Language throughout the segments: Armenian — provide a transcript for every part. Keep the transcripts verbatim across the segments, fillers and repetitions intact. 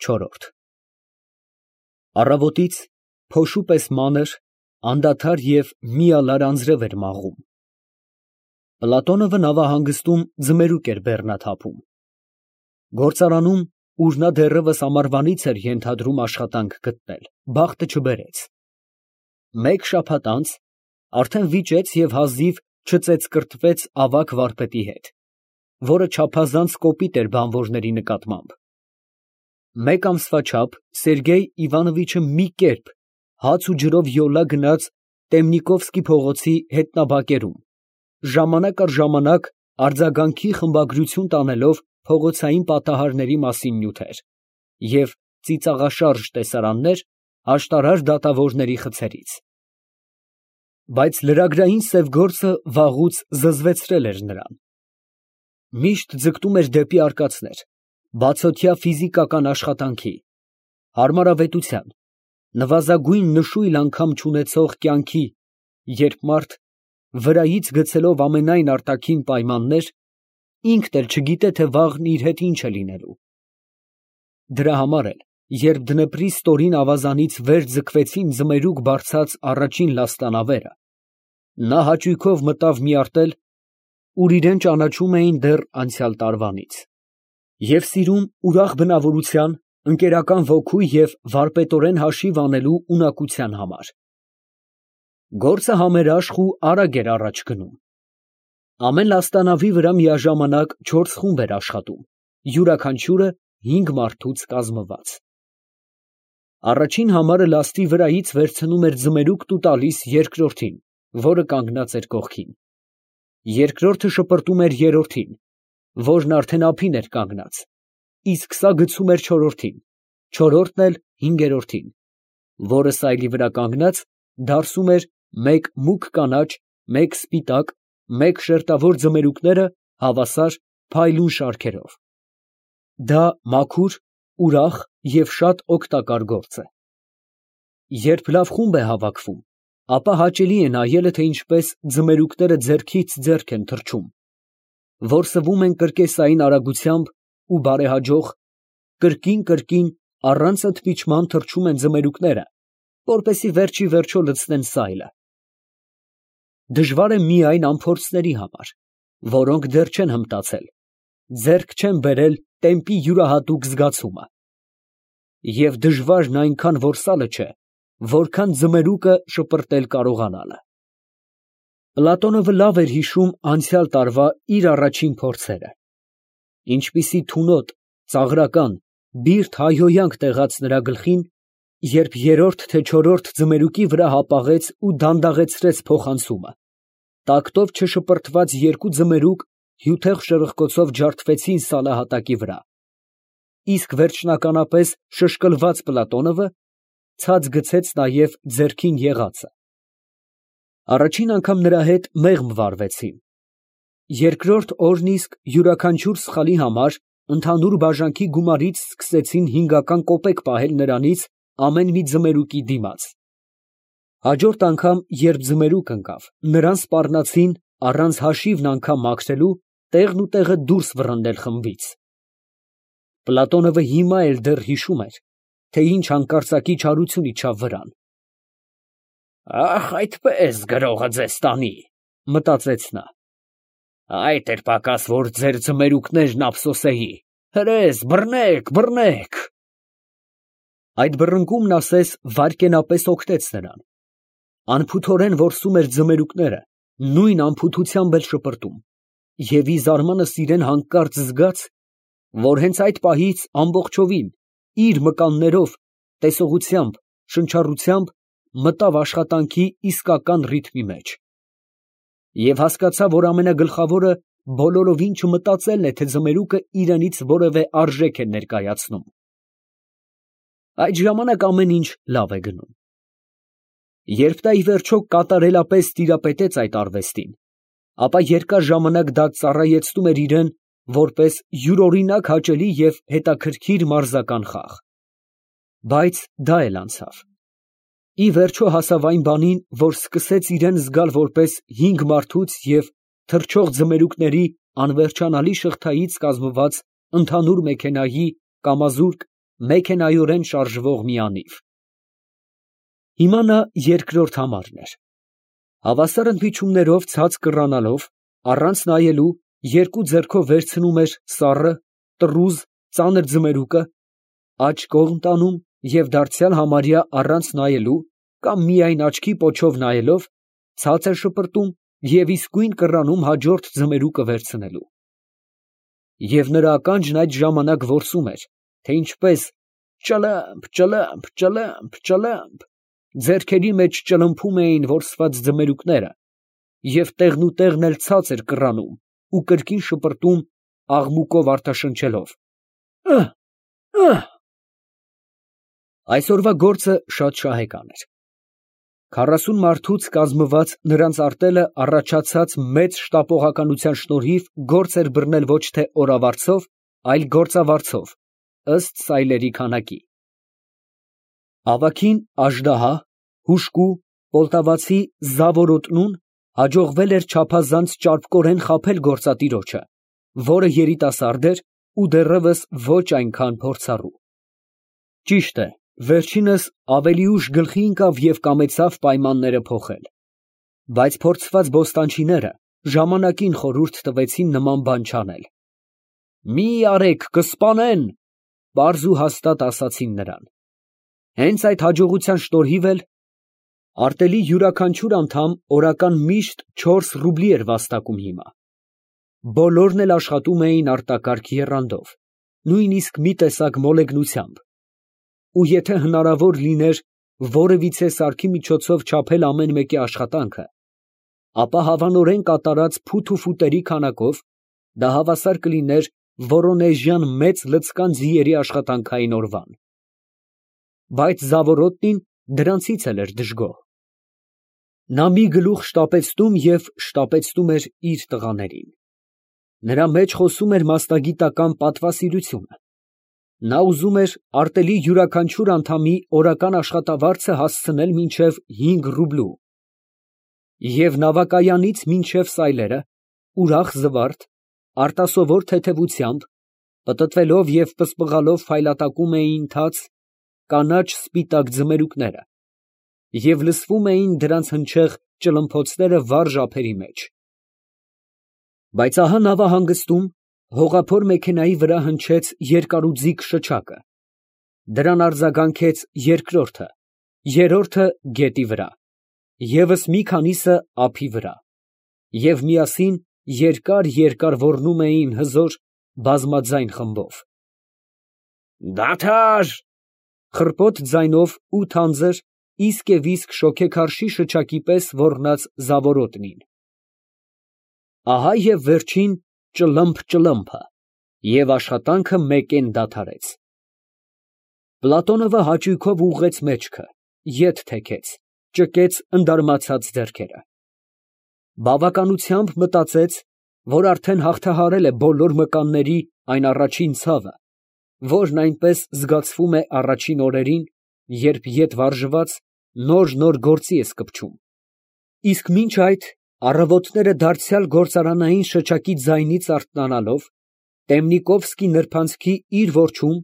Չորրորդ Առավոտից փոշու պես մանր, անդադար և միալար անձրև էր մաղում։ Պլատոնովը նավահանգստում ձմերուկ էր բեռնաթափում։ Գործարանում, ուր նա դեռևս ամառվանից էր ենթադրում աշխատանք գտնել, բախտը չբերեց։ Մեկ շաբաթ անց արդեն վիճեց և հազիվ չծեծկռտվեց ավագ վարպետի հետ, որը չափազանց կոպիտ էր բանվորների նկատմամբ։ Մեկ ամսվա չափ Սերգեյ Իվանովիչը մի կերպ հաց ու ջրով յոլա գնաց Տեմնիկովսկի փողոցի հետնաբակերում, ժամանակ առ ժամանակ արձագանքի խմբագրություն տանելով փողոցային պատահարների մասին նյութեր և ծիծաղաշարժ տեսարաններ աշտարար դատավորների խցերից։ Բայց լրագրային սև գործը վաղուց զզվեցրել էր նրան։ Միշտ ձգտում էր դեպի արկածներ, բացօթյա ֆիզիկական աշխատանքի, հարմարավետության, նվազագույն նշույլ անգամ չունեցող կյանքի, երբ մարդ, վրայից գցելով ամենայն արտաքին պայմաններ, ինքն էլ չգիտե, թե վաղն իր հետ ինչ է լինելու։ Դրա համար էլ, երբ Դնեպրի ստորին ավազանից վեր ձգվեցին ձմերուկ բարձած առաջին լաստանավերը, նա հաճույքով մտավ մի արտել, ուր իրան ճանաչում էին դեռ անցյալ տարվանից, և սիրում ուրախ բնավորության, ընկերական ոգու և վարպետորեն հաշիվ անելու ունակության համար։ Գործը համերաշխ ու արագ էր առաջ գնում։ Ամեն լաստանավի վրա միաժամանակ չորս խումբ էր աշխատում, յուրաքանչյուրը հինգ մարդուց կազմված։ Առաջին համարը լաստի վրայից վերցնում էր ձմերուկն ու տալիս երկրորդին, որը կանգնած էր կողքին։ Երկրորդը շպրտում էր երրորդին, որն արդեն ափին էր կանգնած, իսկ սա գցում էր չորրորդին, չորրորդն էլ հինգերորդին, որը սայլի վրա կանգնած դարսում էր մեկ մուգ կանաչ, մեկ սպիտակ, մեկ շերտավոր ձմերուկները հավասար փայլուն շարքերով։ Դա մաքուր, ուրախ և շատ օգտակար գործ է։ Երբ լավ խումբ է հավաքվում, ապա հաճելի է նայելը, թե ինչպես ձմերուկները ձեռքից ձեռք են թռչում, որսվում են կրկեսային արագությամբ ու բարեհաջող, կրկին֊կրկին առանց ընդմիջման թռչում են ձմերուկները, որպեսզի վերջ ի վերջո լցնեն սայլը։ Դժվար է միայն անփորձների համար, որոնք դեռ չեն հմտացել, ձեռք չեն բերել տեմպի յուրահատուկ զգացումը։ Եվ դժվարն այնքան որսալը չէ, որքան ձմերուկը շպրտել կարողանալը։ Պլատոնովը լավ էր հիշում անցյալ տարվա իր առաջին փորձերը։ Ինչպիսի թունոտ, ծաղրական, բիրտ հայհոյանք տեղաց նրա գլխին, երբ երրորդ թե չորրորդ ձմերուկի վրա հապաղեց ու դանդաղեցրեց փոխանցումը, տակտով չշպրտված երկու ձմերուկ հյութեղ շրխկոցով ջարդվեցին սալահատակի վրա, իսկ վերջնականապես շշկլված Պլատոնովը ցած գցեց նաև ձեռքին եղածը։ Առաջին անգամ նրա հետ մեղմ վարվեցին։ Երկրորդ օրն իսկ յուրաքանչյուր սխալի համար ընդհանուր բաժանքի գումարից սկսեցին հինգական կոպեկ պահել նրանից ամեն մի ձմերուկի դիմաց։ Հաջորդ անգամ, երբ ձմերուկ ընկավ, նրան սպառնացին, առանց հաշիվն անգամ մաքրելու, տեղն ու տեղը դուրս վռնդել խմբից։ Պլատոնովը հիմա էլ դեռ հիշում էր, թե ինչ հանկարծակի չարություն իջավ վրան։ «Ախ, այդպես գրողը ձեզ տանի», մտածեց նա։ «Այդ էր պակաս, որ ձեր ձմերուկներն ափսոսեի։ Հրես, բռնեք, բռնեք»։ Այդ բռնկումն ասես վայրկենապես օգնեց նրան։ Անփութորեն որսում էր ձմերուկները, նույն անփութությամբ էլ շպրտում, և ի զարմանս իրան հանկարծ զգաց, որ հենց այդ պահից ամբողջովին, իր մկաններով, տեսողությամբ, շնչառությամբ մտավ աշխատանքի իսկական ռիթմի մեջ։ Եվ հասկացավ, որ ամենագլխավորը բոլորովին չմտածելն է, թե ձմերուկը իրենից որևէ արժեք է ներկայացնում։ Այդ ժամանակ ամեն ինչ լավ է գնում։ Երբ նա ի վերջո կատարելապես տիրապետեց այդ արվեստին, ապա երկար ժամանակ դա ծառայեցնում էր իրան որպես յուրօրինակ հաճելի և հետաքրքիր մարզական խաղ։ Բայց դա էլ անցավ։ Ի վերջո հասավ այն բանին, որ սկսեց իրան զգալ որպես հինգ մարդուց և թռչող ձմերուկների անվերջանալի շղթայից կազմված ընդհանուր մեքենայի կամազուրկ մեքենայորեն շարժվող մի անիվ։ Հիմա նա երկրորդ համարն էր։ Հավասար ընդմիջումներով ցած կռանալով, առանց նայելու, երկու ձեռքով վերցնում էր սառը, տռուզ, ծանր ձմերուկը, աջ կողմ տանում և դարձյալ համարյա առանց նայելու կամ միայն աչքի պոչով նայելով, ցած էր շպրտում և իսկույն կռանում հաջորդ ձմերուկը վերցնելու։ Եվ նրա ականջն այդ ժամանակ որսում էր, թե ինչպես ճլըմփ, ճլըմփ, ճլըմփ, ճլըմփ ձեռքերի մեջ ճլմփում էին որսված ձմերուկները, և տեղնուտեղն էլ ցած էր կռանում ու կրկին շպրտում, աղմուկով արտաշնչելով. «Ըհ, ըհ»։ Այսօրվա գործը շատ շահեկան էր։ Քառասուն մարդուց կազմված նրանց արտելը առաջացած մեծ շտապողականության շնորհիվ գործ էր բռնել ոչ թե օրավարձով, այլ գործավարձով, ըստ սայլերի քանակի։ Ավագին Աժդահա, հուժկու, պոլտավացի Զավորոտնուն հաջողվել էր չափազանց ճարպկորեն խաբել գործատիրոջը, որը երիտասարդ էր ու դեռևս ոչ այնքան փորձառու։ Ճիշտ է, վերջինս ավելի ուշ գլխի ընկավ և կամեցավ պայմանները փոխել, բայց փորձված բոստանչիները ժամանակին խորհուրդ տվեցին նման բան չանել։ «Մի արեք, կսպանեն», պարզ ու հաստատ ասացին նրան։ Հենց այդ հաջողության շնորհիվ էլ արտելի յուրաքանչյուր անդամ օրական միշտ չորս ռուբլի էր վաստակում հիմա։ Բոլորն էլ աշխատում էին արտակարգ եռանդով, նույնիսկ մի տեսակ մոլեգնությամբ, ու եթե հնարավոր լիներ որևիցե սարքի միջոցով չափել ամեն մեկի աշխատանքը, ապա հավանորեն կատարած փութ ու ֆուտերի քանակով դա հավասար կլիներ Վորոնեժյան մեծ լցկան ձիերի աշխատանքային օրվան։ Բայց Զավորոտնին դրանցից էլ էր դժգոհ։ Նա մի գլուխ շտապեցնում և շտապեցնում էր իր տղաներին։ Նրա մեջ խոսում էր մասնագիտական պատվասիրությունը։ Նա ուզում էր արտելի յուրաքանչյուր անդամի օրական աշխատավարձը հասցնել մինչև հինգ ռուբլու և նավակայանից մինչև սայլերը, ուրախ զվարթ, արտասովոր թեթևությամբ, պտտվելով և պսպղալով փայլատակում էին թաց, կանաչ սպիտակ ձմերուկները և լսվում էին դրանց հնչեղ ճլմփոցները վառ ափերի մեջ։ Բայց ահա նավահանգստում հողափոր մեքենայի վրա հնչեց երկարուձիգ շչակը, դրան արձագանքեց երկրորդը, երրորդը գետի վրա, ևս մի քանիսը ափի վրա, և միասին երկար֊երկար ոռնում էին հզոր, բազմաձայն խմբով։ «Դադար», խռպոտ ձայնով ու թանձր, իսկ և իսկ շոգեքարշի շչակի պես ոռնաց Զավորոտնին։ Ահա և վերջին ճլըմփ֊ճլըմփը, և աշխատանքը մեկեն դադարեց։ Պլատոնովը հաճույքով ուղղեց մեջքը, ետ թեքեց, ճկեց ընդարմացած ձեռքերը։ Բավականությամբ մտածեց, որ արդեն հաղթահարել է բոլոր մկանների այն առաջին ցավը, որն այնպես զգացվում է առաջին օրերին, երբ ետ վարժված նոր֊նոր գործի ես կպչում, իսկ մինչ այդ առավոտները դարձյալ գործարանային շչակի ձայնից արթնանալով, Տեմնիկովսկի նրբանցքի իր որջում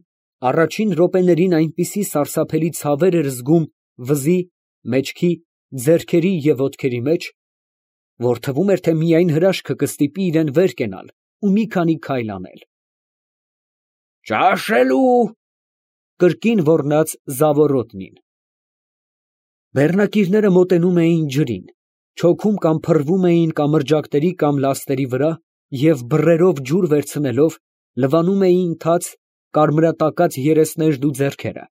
առաջին րոպեներին այնպիսի սարսափելի ցավեր էր զգում վզի, մեջքի, ձեռքերի և ոտքերի մեջ, որ թվում էր, թե միայն հրաշքը կստիպի իրան վեր կենալ ու մի քանի քայլ անել։ «Ճաշելու», կրկին ոռնաց Զավորոտնին։ Բեռնակիրները մոտենում էին ջրին, չոքում կամ փռվում էին կամրջակների կամ լաստերի վրա և բռերով ջուր վերցնելով լվանում էին թաց, կարմրատակած երեսներն ու ձեռքերը։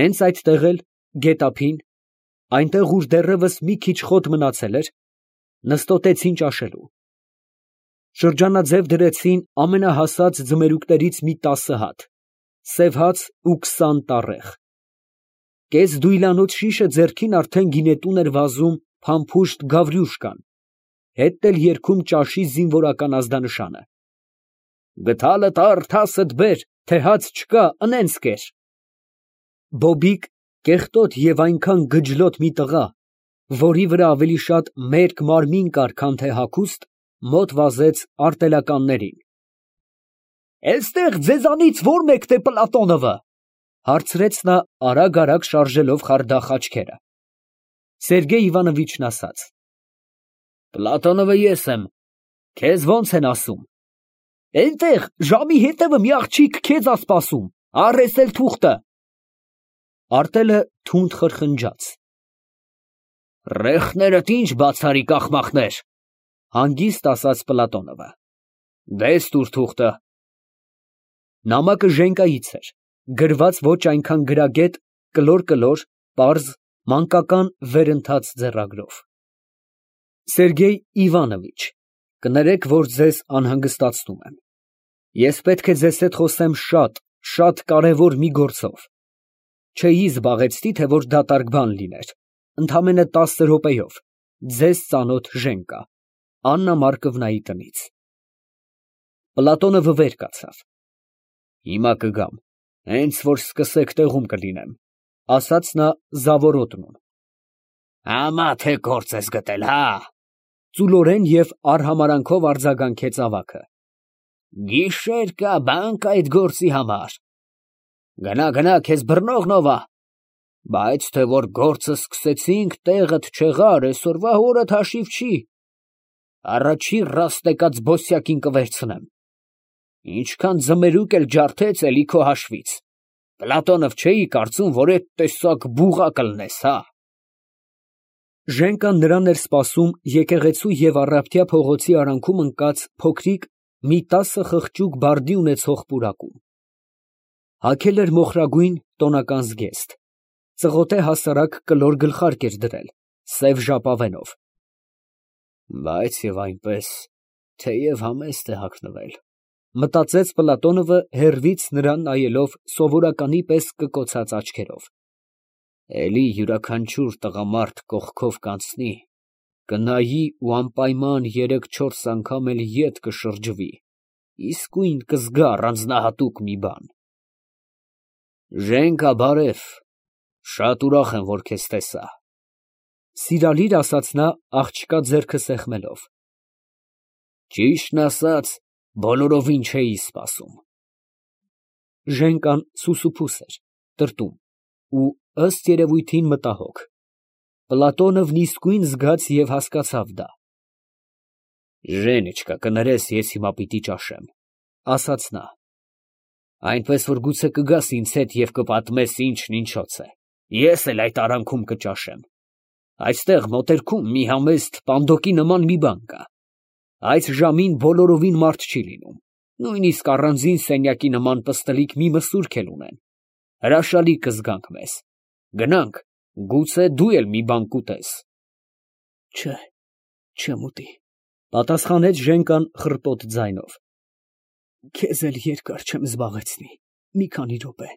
Հենց այդտեղ էլ, գետափին, այնտեղ, ուր դեռևս մի քիչ խոտ մնացել էր, նստոտեցին ճաշելու։ Շրջանաձև դրեցին ամենահասած ձմերուկներից մի տասը հատ, սև հաց ու քսան տառեղ։ Կես դույլանոց շիշը ձեռքին արդեն գինետուն էր վազում փամփուշտ Գավրյուշկան, հետն էլ երգում ճաշի զինվորական ազդանշանը. «Գդալը տար, թասդ բեր, թե հաց չկա, ընենց կեր»։ Բոբիկ, կեղտոտ և այնքան գջլոտ մի տղա, որի վրա ավելի շատ մերկ մարմին կար, քան թե հագուստ, մոտ վազեց արտելականներին։ Էստեղ ձեզանից ո՞ր մեկն է Պլատոնովը, հարցրեց նա արագ֊արագ շարժելով խարդախ աչքերը։ Սերգեյ Իվանովիչն ասաց. Պլատոնովը ես եմ, քեզ ո՞նց են ասում։ Էնտեղ ժամի հետևը մի աղջիկ քեզ ա սպասում, առ էս էլ թուղթը։ Արտելը թունդ խրխնջաց։ Ռեխներդ ինչ բացարիք աղմախներ, հանգիստ ասաց Պլատոնովը։ Դես տուր թուղթը։ Նամակը Ժենկայից էր, գրված ոչ այնքան գրագետ, կլոր֊կլոր, պարզ, մանկական վերընթաց ձեռագրով։ Սերգեյ Իվանովիչ, կներեք, որ ձեզ անհանգստացնում եմ։ Ես պետք է ձեզ հետ խոսեմ շատ, շատ կարևոր մի գործով։ Չէի զբաղեցնի, թե որ դատարկ բան լիներ, ընդամենը տասը րոպեով, ձեզ ծանոթ Ժենկա, Աննա Մարկովնայի տնից։ Պլատոնովը վեր կացավ։ Հիմա կգամ, հենց որ սկսեք տեղում կլինեմ, ասաց նա զավորոտնում։ Համա թե գործ ես գտել, հա։ Ծուլորեն և արհամարանքով արձագանքեց ավագը։ Գիշեր կա բան կա այդ գործի համար։ Գնա, գնա, քեզ բռնողն ով ա։ Բայց թե որ գործը սկսեցինք, տեղդ չեղար, այսօրվա օրդ հաշիվ չի։ Առաջի ռաստեկած բոսյակին կվերցնեմ։ Ինչքան ձմերուկ էլ ջարդեց, էլի քո հաշվից։ Պլատոնով չէի կարծում, որ այդ տեսակ բուղա կլնես, հա։ Ժենկան նրան էր սպասում եկեղեցու և Առավտյա փողոցի արանքում ընկած փոքրիկ մի տասը խղճուկ բարդի ունեցող պուրակում։ Հագել էր մոխրագույն տոնական զգեստ, ծղոտե հասարակ կլոր գլխարկ էր դրել, սև ժապավենով։ Բայց և այնպես, թեև համեստ է հագնվել, մտածեց Պլատոնովը հեռվից նրան նայելով սովորականի պես կկոցած աչքերով։ Էլի յուրաքանչյուր տղամարդ կողքով կանցնի, կնայի ու անպայման երեք֊չորս անգամ էլ ետ կշրջվի, իսկույն կզգա առանձնահատուկ մի բան։ Ժենկա, բարև, շատ ուրախ եմ, որ քեզ տեսա։ Սիրալիր ասաց նա աղջկա ձեռքը սեղմելով։ Ճիշտն ասած, բոլորովին չէի սպասում։ Ժենկան սուսուփուս էր, տրտում ու ըստ երևույթին մտահոգ։ Պլատոնովն իսկույն զգաց և հասկացավ դա։ Ժենիչկա, կներես, ես հիմա պիտի ճաշեմ, ասաց նա։ Այնպես որ գուցե կգաս ինձ հետ և կպատմես ինչն ինչոց է, ես էլ այդ արանքում կճաշեմ։ Այստեղ մոտերքում մի համեստ պանդոկի նման մի բան կա։ Այս ժամին բոլորովին մարդ չի լինում, նույնիսկ առանձին սենյակի նման պստլիկ մի մսուրք էլ ունեն։ Հրաշալի կզգանք մեզ։ Գնանք, գուցե դու էլ մի բան կուտես։ Չէ, չեմ ուտի, պատասխանեց Ժենկան խռպոտ ձայնով։ Քեզ էլ երկար չեմ զբաղեցնի, մի քանի րոպե։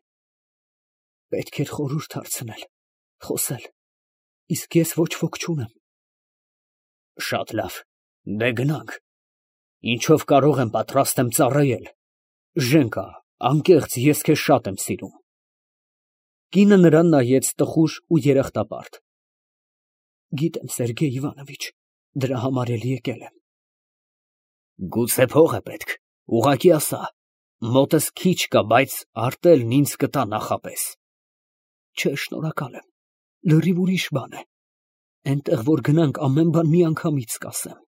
Պետք էր խորհուրդ հարցնել, խոսել, իսկ ես ոչ ոք չունեմ։ Շատ լավ, դե գնանք։ Ինչով կարող եմ, պատրաստ եմ ծառայել։ Ժենկա, անկեղծ, ես քեզ շատ եմ սիրում։ Կինը նրան նայեց տխուր ու երախտապարտ։ Գիտեմ, Սերգեյ Իվանովիչ, դրա համար էլ եկել եմ։ Գուցե փող է պետք, ուղղակի ասա, մոտս քիչ կա, բայց արտելն ինձ կտա նախապես։ Չէ, շնորհակալ եմ, լրիվ ուրիշ բան է։ Էնտեղ որ գնանք, ամեն բան միանգամից կասեմ։